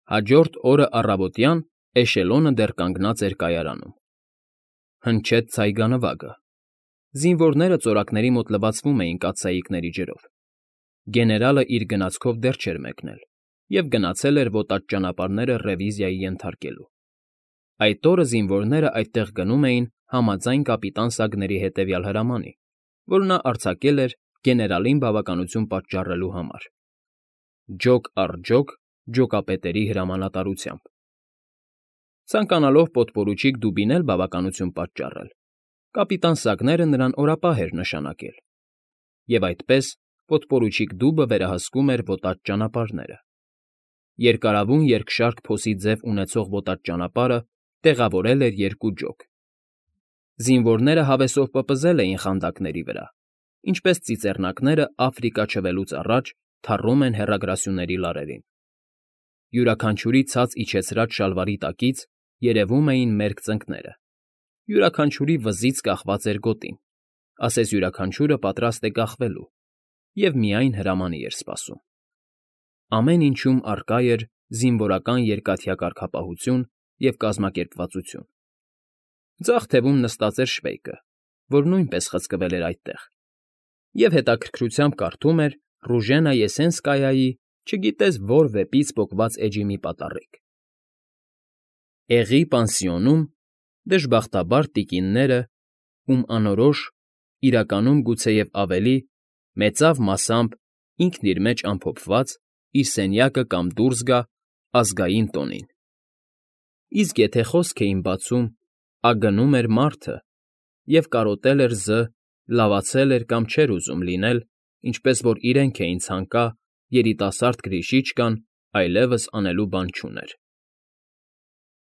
Հաջորդ օրը առավոտյան էշելոնը դեռ կանգնած էր կայարանում։ Հնչեց ցայգանվագը։ Զինվորները ծորակների մոտ լվացվում էին կաթսայիկների ջրով։ Գեներալը իր գնացքով դեռ չէր մեկնել և գնացել էր ոտած ճանապարհները ռևիզիայի ենթարկելու։ Այդ օրը զինվորները այդտեղ գնում էին համաձայն կապիտան Սագների հետևյալ հրամանի, որ նա արձակել էր գեներալին բավականություն պատճառելու համար։ Ջոկ առ ջոկ ջոկապետերի հրամանատարությամբ։ Ցանկանալով պոդպորուչիկ Դուբին էլ բավականություն պատճառել, կապիտան Սագները նրան օրապահ էր նշանակել, և այդպես պոդպորուչիկ Դուբը վերահսկում էր ոտած ճանապարհները։ Երկարավուն երկշարք փոսի ձև ունեցող ոտած ճանապարհը տեղավորել էր երկու ջոկ։ Զինվորները հավեսով պպզել էին խանդակների վրա, ինչպես ծիծեռնակները Աֆրիկա չվելուց առաջ թառում են հեռագրասյուների լարերին։ Յուրաքանչյուրի ցած իջեցրած շալվարի տակից երևում էին մերկ ծնկները, յուրաքանչյուրի վզից կախված էր գոտին, ասես յուրաքանչյուրը պատրաստ է կախվելու և միայն հրամանի էր սպասում։ Ամեն ինչում առկա էր զինվորական երկաթյա կարգապահություն և կազմակերպվածություն։ Ձախ թևում նստած էր Շվեյկը, որ նույնպես խցկվել էր այդտեղ, և հետաքրքրությամբ կարդում էր Ռուժենա Եսենսկայայի չգիտես որ վեպից պոկված էջի մի պատառիկ։ Էղի պանսիոնում դժբախտաբար տիկինները, ում անորոշ, իրականում գուցեև ավելի, մեծավ մասամբ ինքն իր մեջ ամփոփված, իր սենյակը կամ դուրս գա ազգային տոնին։ Իսկ եթե խոսք էին բացում, ագնում էր մարդը, և կարոտել էր լավացել էր կամ չէր ուզում լինել, ինչպես որ իրենք էին ցանկա, երիտասարդ Գրիշիչկան այլևս անելու բան չուներ։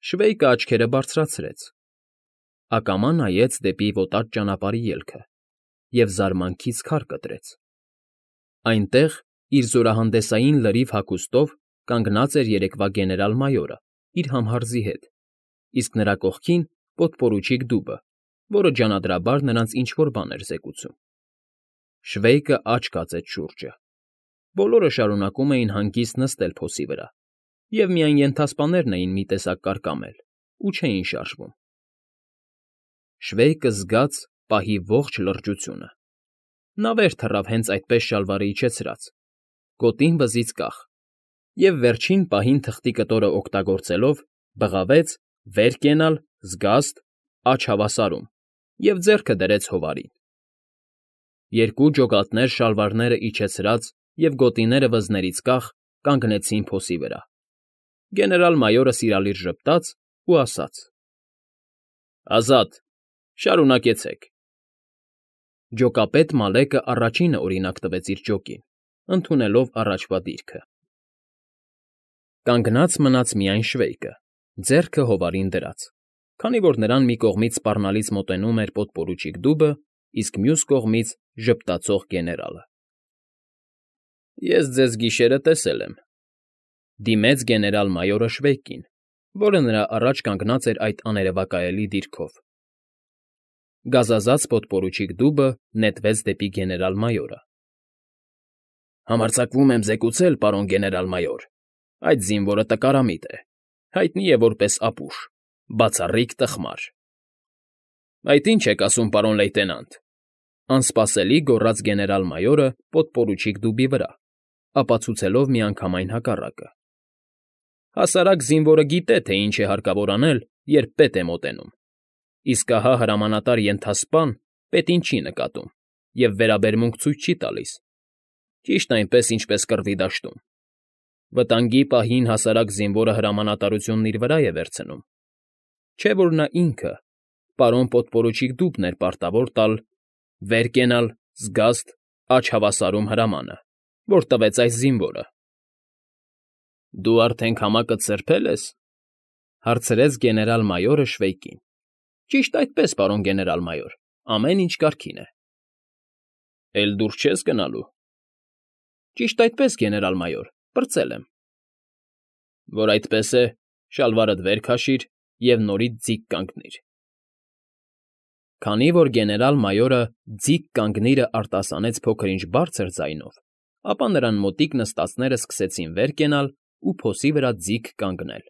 Շվեյկը աչքերը բարձրացրեց, ակամա նայեց դեպի ոտած ճանապարհի ելքը և զարմանքից քար կտրեց։ Այնտեղ, իր զորահանդեսային լրիվ հագուստով, կանգնած էր երեկվա գեներալ֊մայորը իր համհարձի հետ, իսկ նրա կողքին պոդպորուչիկ Դուբը, որը ջանադրաբար նրանց ինչ֊որ բան էր զեկուցում։ Շվեյկը աչք կածեց շուրջը։ Բոլորը շարունակում էին հանգիստ նստել փոսի վրա, և միայն ենթասպաներն էին մի տեսակ կարկամել ու չէին շարժվում։ Շվեյկը զգաց պահի ողջ լրջությունը։ Նա վեր թռավ հենց այդպես շալվարը իջեցրած, գոտին վզից կախ, և վերջին պահին թղթի կտորը օգտագործելով բղավեց վեր կենալ, զգաստ, աջ հավասարում և ձեռքը դրեց հովարին։ Երկու ջոկատներ շալվարները իջեցրած և գոտիները վզներից կախ կանգնեցին փոսի վրա։ Գեներալ֊մայորը սիրալիր ժպտաց ու ասաց. «Ազատ, շարունակեցեք»։ Ջոկապետ Մալեկը առաջինը օրինակ տվեց իր ջոկին, ընդունելով առաջվա դիրքը։ Կանգնած մնաց միայն Շվեյկը, ձեռքը հովարին դրած, քանի որ նրան մի կողմից սպառնալից մոտենում էր պոդպորուչիկ Դուբը, իսկ մյուս կողմից ժպտացող գեներալը։ «Ես ձեզ գիշերը տեսել եմ», դիմեց գեներալ֊մայորը Շվեյկին, որը նրա առաջ կանգնած էր այդ աներևակայելի դիրքով։ Գազազած պոդպորուչիկ Դուբը նետվեց դեպի գեներալ֊մայորը։ «Համարձակվում եմ զեկուցել, պարոն գեներալ֊մայոր, այդ զինվորը տկարամիտ է, հայտնի է որպես ապուշ, բացառիկ տխմար»։ «Այդ ի՞նչ եք ասում, պարոն լեյտենանտ», անսպասելի գոռաց գեներալ֊մայորը պոդպորուչիկ Դուբի վրա, ապացուցելով միանգամայն հակառակը։ «Հասարակ զինվորը գիտե, թե ինչ է հարկավոր անել, երբ պետ է մոտենում, իսկ ահա հրամանատար ենթասպան պետին չի նկատում և վերաբերմունք ցույց չի տալիս, ճիշտ այնպես, ինչպես կռվի դաշտում։ Վտանգի պահին հասարակ զինվորը հրամանատարությունն իր վրա է վերցնում, չէ՞ որ նա ինքը, պարոն պոդպորուչիկ Դուբն էր պարտավոր տալ վեր կենալ, զգաստ, աջ հավասարում հրամանը, որ տվեց այս զինվորը»։ «Դու արդեն քամակդ սրբել ես», հարցրեց գեներալ֊մայորը Շվեյկին։ «Ճիշտ այդպես, պարոն գեներալ֊մայոր, ամեն ինչ կարգին է»։ «Էլ դուրս չես գնալու»։ «Ճիշտ այդպես, գեներալ֊մայոր, պրծել եմ»։ «Որ այդպես է, շալվարդ վեր քաշիր և նորից ձիգ կանգնիր»։ Քանի որ գեներալ֊մայորը «ձիգ կանգնիրը» արտասանեց փոքր֊ինչ բարձր ձայնով, ապա նրան մոտիկ նստածները սկսեցին վեր կենալ ու փոսի վրա ձիգ կանգնել։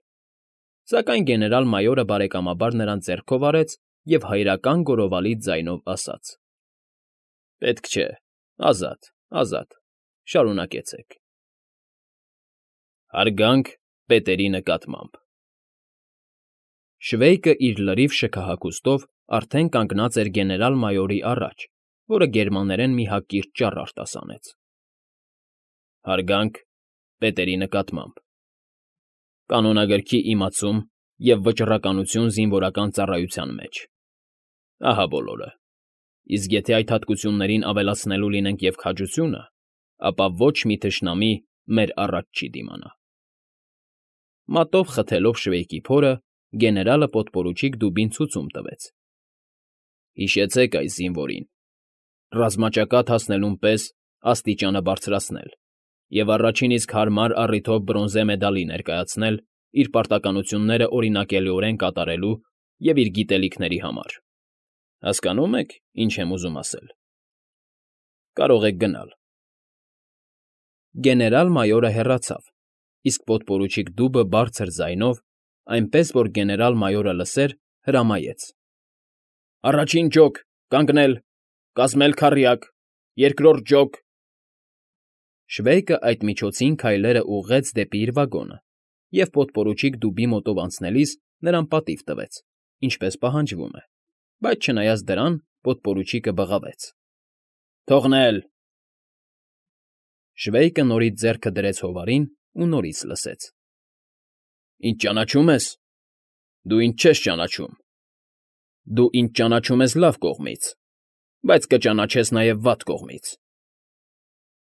Սակայն գեներալ֊մայորը բարեկամաբար նրան ձեռքով արեց և հայրական գոռովալի ձայնով ասաց. «Պետք չէ, ազատ, ազատ, շարունակեցեք»։ Հարգանք պետերի նկատմամբ։ Շվեյկը իր լրիվ շքահակուստով արդեն կանգնած էր գեներալ֊մայորի առաջ, որը գերմաներեն մի հակիրճ ճառ արտասանեց։ Հարգանք պետերի նկատմամբ։ Կանոնագրքի իմացում և վճռականություն զինվորական ծառայության մեջ։ Ահա բոլորը։ Իսկ եթե այդ հատկություններին ավելացնելու լինենք և քաջությունը, ապա ոչ մի թշնամի մեր առաջ չի դիմանա։ Մատով խթելով Շվեյկի փորը, գեներալը պոդպորուչիկ Դուբին ցուցում տվեց։ Հիշեցեք այս զինվորին. ռազմաճակատ հասնելուն պես աստիճանը բարձրացնել և առաջին իսկ հարմար առիթով բրոնզե մեդալի ներկայացնել իր պարտականությունները օրինակելիորեն կատարելու և իր գիտելիքների համար։ Հասկանո՞ւմ եք, ինչ եմ ուզում ասել։ Կարող եք գնալ։ Գեներալ֊մայորը հեռացավ, իսկ պոդպորուչիկ Դուբը բարձր ձայնով, այնպես որ գեներալ֊մայորը լսեր, հրամայեց. «Առաջին ջոկ, կանգնել, կազմել քառյակ, երկրորդ ջոկ»։ Շվեյկը այդ միջոցին քայլերը ուղղեց դեպի իր վագոնը և պոդպորուչիկ Դուբի մոտով անցնելիս նրան պատիվ տվեց, ինչպես պահանջվում է, բայց չնայած դրան պոդպորուչիկը բղավեց. «Թողնել»։ Շվեյկը նորից ձեռքը դրեց հովարին ու նորից լսեց. «Ինձ ճանաչում ես։ Դու ինձ չես ճանաչում։ Դու ինձ ճանաչում ես լավ կողմից, բայց կճանաչես նաև վատ կողմից։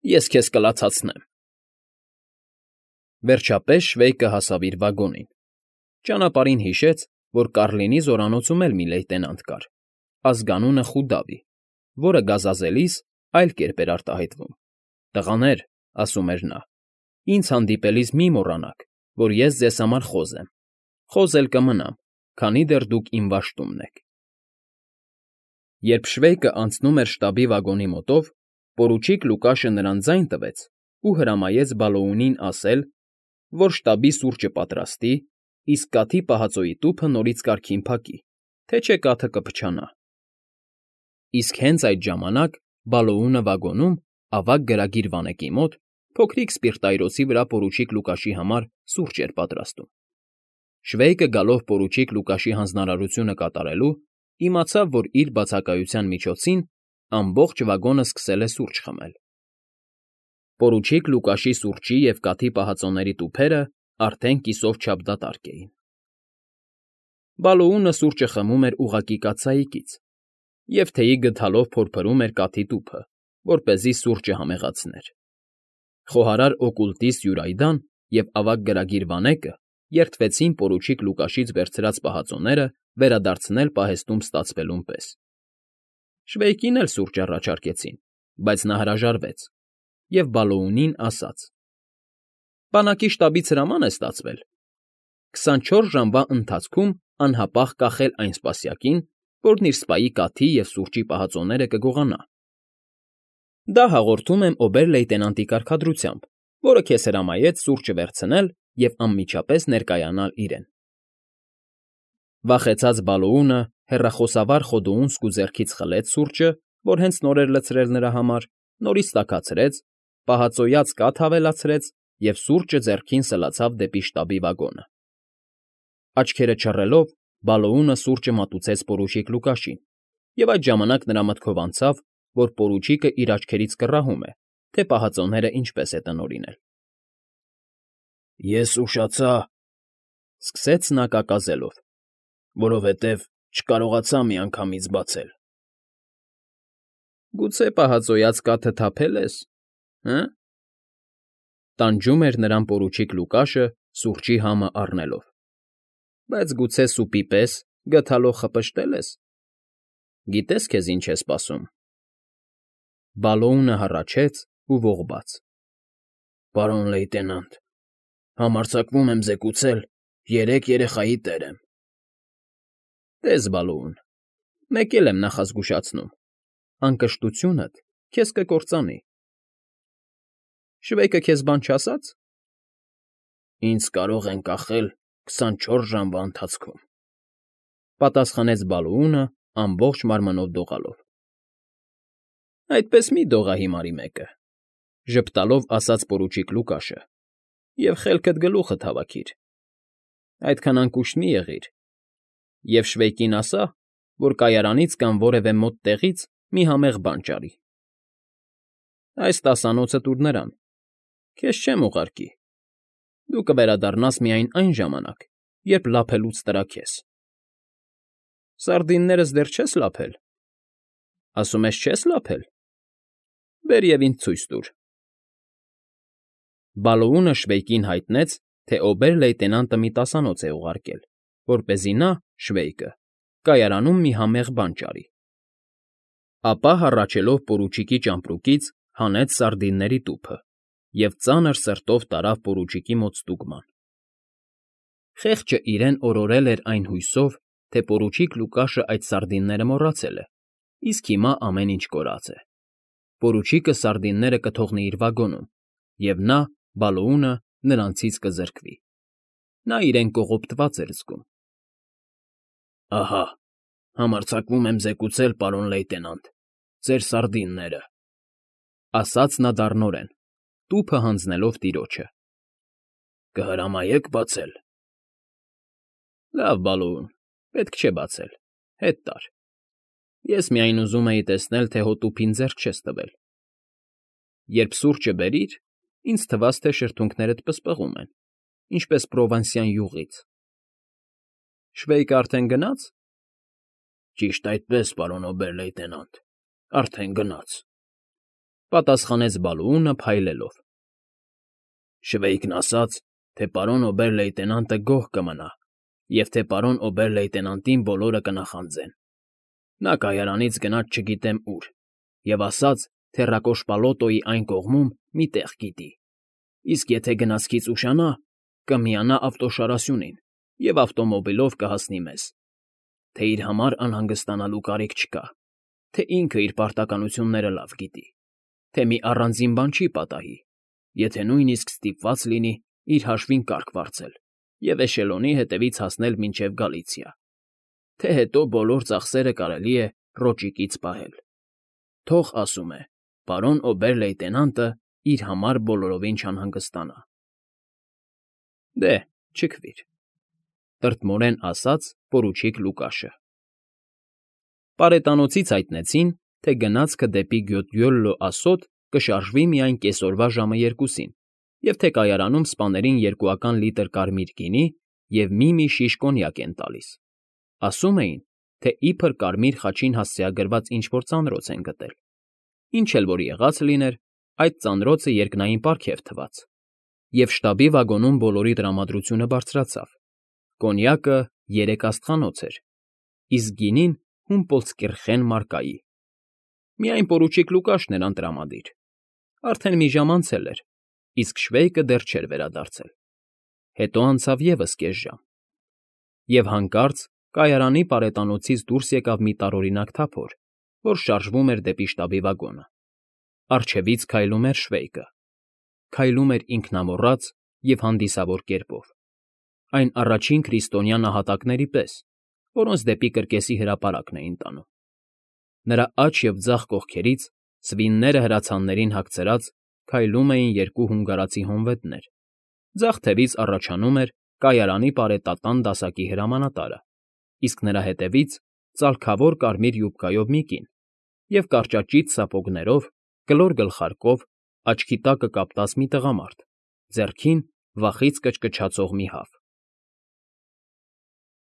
Ես քեզ կլացացնեմ»։ Վերջապես Շվեյկը հասավ իր վագոնին։ Ճանապարհին հիշեց, որ Կառլինի զորանոցում էլ մի լեյտենանտ կար, ազգանունը Խուդավի, որը գազազելիս այլ կերպ էր արտահայտվում։ «Տղաներ», ասում էր նա, «ինձ հանդիպելիս մի մոռանաք, որ ես ձեզ համար խոզ եմ, խոզ էլ կմնամ, քանի դեռ դուք իմ վաշտումն եք»։ Երբ Շվեյկը անցնում էր շտաբի վագոնի մոտով, պորուչիկ Լուկաշը նրան ձայն տվեց ու հրամայեց Բալոունին ասել, որ շտաբի սուրճը պատրաստի, իսկ կաթի պահածոյի տուփը նորից կարգին փակի, թե չէ կաթը կփչանա։ Իսկ հենց այդ ժամանակ Բալոունը վագոնում, ավագ գրագիր վանեկի մոտ, փոքրիկ սպիրտայրոցի վրա պորուչիկ Լուկաշի համար սուրճ էր պատրաստում։ Շվեյկը գալով պորուչիկ Լուկաշի հանձնարարությունը կատարելու, իմացավ, որ իր բացակայության միջոցին ամբողջ վագոնը սկսել է սուրճ խմել։ Պորուչիկ Լուկաշի սուրճի և կաթի պահածոների տուփերը արդեն կիսով չափ դատարկ էին։ Բալոունը սուրճը խմում էր ուղղակի կաթսայիկից և թեյի գդալով փորփրում էր կաթի տուփը, որպեսզի սուրճը համեղացներ։ Խոհարար օկուլտիստ Յուրայդան և ավագ գրագիր Վանեկը երդվեցին պորուչիկ Լուկաշից վերցրած պահածոները վերադարձնել պահեստում ստացվելուն պես։ Շվեյկին էլ սուրճ առաջարկեցին, բայց նա հրաժարվեց և Բալոունին ասաց. «Բանակի շտաբից հրաման է ստացվել 24 ժամվա ընթացքում անհապաղ կախել այն սպասյակին, որն իր սպայի կաթի և սուրճի պահածոները կգողանա։ Դա հաղորդում եմ օբեր֊լեյտենանտի կարգադրությամբ, որը քեզ հրամայեց սուրճը վերցնել և անմիջապես ներկայանալ իրեն»։ Վախեցած Բալոունը հեռախոսավար Խոդոունսկու ձեռքից խլեց սուրճը, որ հենց նոր էր լցրել նրա համար, նորից տաքացրեց, պահածոյած կաթ ավելացրեց և սուրճը ձեռքին սլացավ դեպի շտաբի վագոնը։ Աչքերը չռելով, Բալոունը սուրճը մատուցեց պորուչիկ Լուկաշին, և այդ ժամանակ նրա մտքով անցավ, որ պորուչիկը իր աչքերից կռահում է, թե պահածոները ինչպես է տնօրինել։ «Ես ուշացա», ֊ սկսեց նա կակազելով, «որովհետև չկարողացա միանգամից բացել»։ «Գուցե պահածոյած կաթը թափել ես, հը՞»։ Տանջում էր նրան պորուչիկ Լուկաշը սուրճի համը առնելով։ «Բայց գուցե սուպի պես գդալով խպշտել ես։ Գիտես քեզ ինչ է սպասում»։ Բալոունը հառաչեց ու ողբաց. «Պարոն լեյտենանտ, համարձակվում եմ զեկուցել, 3 երեխայի տեր եմ»։ «Տես, Բալոուն, մեկ էլ եմ նախազգուշացնում. անկշտությունդ քեզ կկործանի»։ Շվեյկը քեզ բան չասա՞ց։ Ինձ կարող են կախել 24 ժամվա ընթացքում,֊ պատասխանեց Բալոունը ամբողջ մարմնով դողալով։ ֊ Այդպես մի դողա հիմարի մեկը,֊ ժպտալով ասաց պորուչիկ Լուկաշը,֊ և խելքդ գլուխդ հավաքիր. այդքան անկուշտ մի եղիր, և Շվեյկին ասա, որ կայարանից կամ որևէ մոտ տեղից մի համեղ բան ճարի։ Այս 10-անոցը տուր նրան, քեզ չեմ ուղարկի, դու կվերադառնաս միայն այն ժամանակ, երբ լափելուց տրաքես։ ֊ Սարդիններս դեռ չես լափել, ասում ես չես լափել, բեր և ինձ ցույց տուր։ Բալոունը Շվեյկին հայտնեց, թե օբեր֊լեյտենանտը մի 10-անոց է ուղարկել, որպեսզի նա, Շվեյկը, կայարանում մի համեղ բան ճարի։ Ապա, հառաչելով պորուչիկի ճամպրուկից, հանեց սարդինների տուփը և ծանր սրտով տարավ պորուչիկի մոտ ստուգման։ Խեղճը իրեն օրորել էր այն հույսով, թե պորուչիկ Լուկաշը այդ սարդինները մոռացել է, իսկ հիմա ամեն ինչ կորած է։ Պորուչիկը սարդինները կթողնի իր վագոնում, և նա, Բալոունը, նրանցից կզրկվի։ Նա իրեն կողոպտված էր զգում։ Ահա, համարձակվում եմ զեկուցել, պարոն լեյտենանտ, ձեր սարդինները,֊ ասաց նա դառնորեն, տուփը հանձնելով տիրոջը։ Կհրամայե՞ք բացել։ Լավ, Բալոուն, պետք չէ բացել, հետ տար։ Ես միայն ուզում էի տեսնել, թե հո տուփին ձեռք չես տվել։ Երբ սուրճը բերիր, ինձ թվաց, թե շրթունքներդ պսպղում են, ինչպես պրովանսյան յուղից։ Շվեյկը արդեն գնա՞ց։ Ճիշտ այդպես, պարոն օբեր֊լեյտենանտ, արդեն գնաց,֊ պատասխանեց Բալոունը փայլելով։ Շվեյկն ասաց, թե պարոն օբեր֊լեյտենանտը գոհ կմնա և թե պարոն օբեր֊լեյտենանտին բոլորը կնախանձեն։ Նա կայարանից գնաց չգիտեմ ուր և ասաց, թե Ռակոշպալոտոյի այն կողմում մի տեղ գիտի, իսկ եթե գնացքից ուշանա, կմիանա ավտոշարասյունին և ավտոմոբիլով կհասնի մեզ, թե իր համար անհանգստանալու կարիք չկա, թե ինքը իր պարտականությունները լավ գիտի, թե մի առանձին բան չի պատահի, եթե նույնիսկ ստիպված լինի իր հաշվին կարգ վարձել և էշելոնի հետևից հասնել մինչև Գալիցիա, թե հետո բոլոր ծախսերը կարելի է ռոճիկից պահել։ Թող, ասում է, պարոն օբեր֊լեյտենանտը իր համար բոլորովին չանհանգստանա։ Դե, չքվիր,֊ տրտմորեն ասաց պորուչիկ Լուկաշը։ Պարետանոցից հայտնեցին, թե գնացքը դեպի Գյոդյոլլո ասոտ կշարժվի միայն կեսօրվա ժամը 2-ին, և թե կայարանում սպաներին 2 լիտր կարմիր գինի և մի շիշ կոնյակ են տալիս։ Ասում էին, թե իբր կարմիր խաչին հասցեագրված ինչ֊որ ծանրոց են գտել։ Ինչ էլ որ եղած լիներ, այդ ծանրոցը երկնային պարգև թվաց, և շտաբի վագոնում բոլորի տրամադրությունը բարձրացավ։ Կոնյակը 3 աստղանոց էր, իսկ գինին Հումպոլտսկիրխեն մարկայի։ Միայն պորուչիկ Լուկաշն էր անտրամադիր։ Արդեն մի ժամ անցել էր, իսկ Շվեյկը դեռ չէր վերադարձել։ Հետո անցավ ևս կես ժամ, և հանկարծ կայարանի պարետանոցից դուրս եկավ մի տարօրինակ թափոր, որ շարժվում էր դեպի շտաբի վագոնը։ Առջևից քայլում էր Շվեյկը։ Քայլում էր ինքնամոռաց և հանդիսավոր կերպով, այն առաջին քրիստոնյա նահատակների պես, որոնց դեպի կրկեսի հրապարակն էին տանում։ Նրա աջ և ձախ կողքերից, սվինները հրացաններին հագցրած, քայլում էին 2 հունգարացի հոնվետներ, ձախ թևից առաջանում էր կայարանի պարետատան դասակի հրամանատարը, իսկ նրա հետևից ծալքավոր կարմիր յուբկայով մի կին և կարճաճիտ սապոգներով, կլոր գլխարկով, աչքի տակը կապտած մի տղամարդ, ձեռքին վախից կչկչացող մի հավ։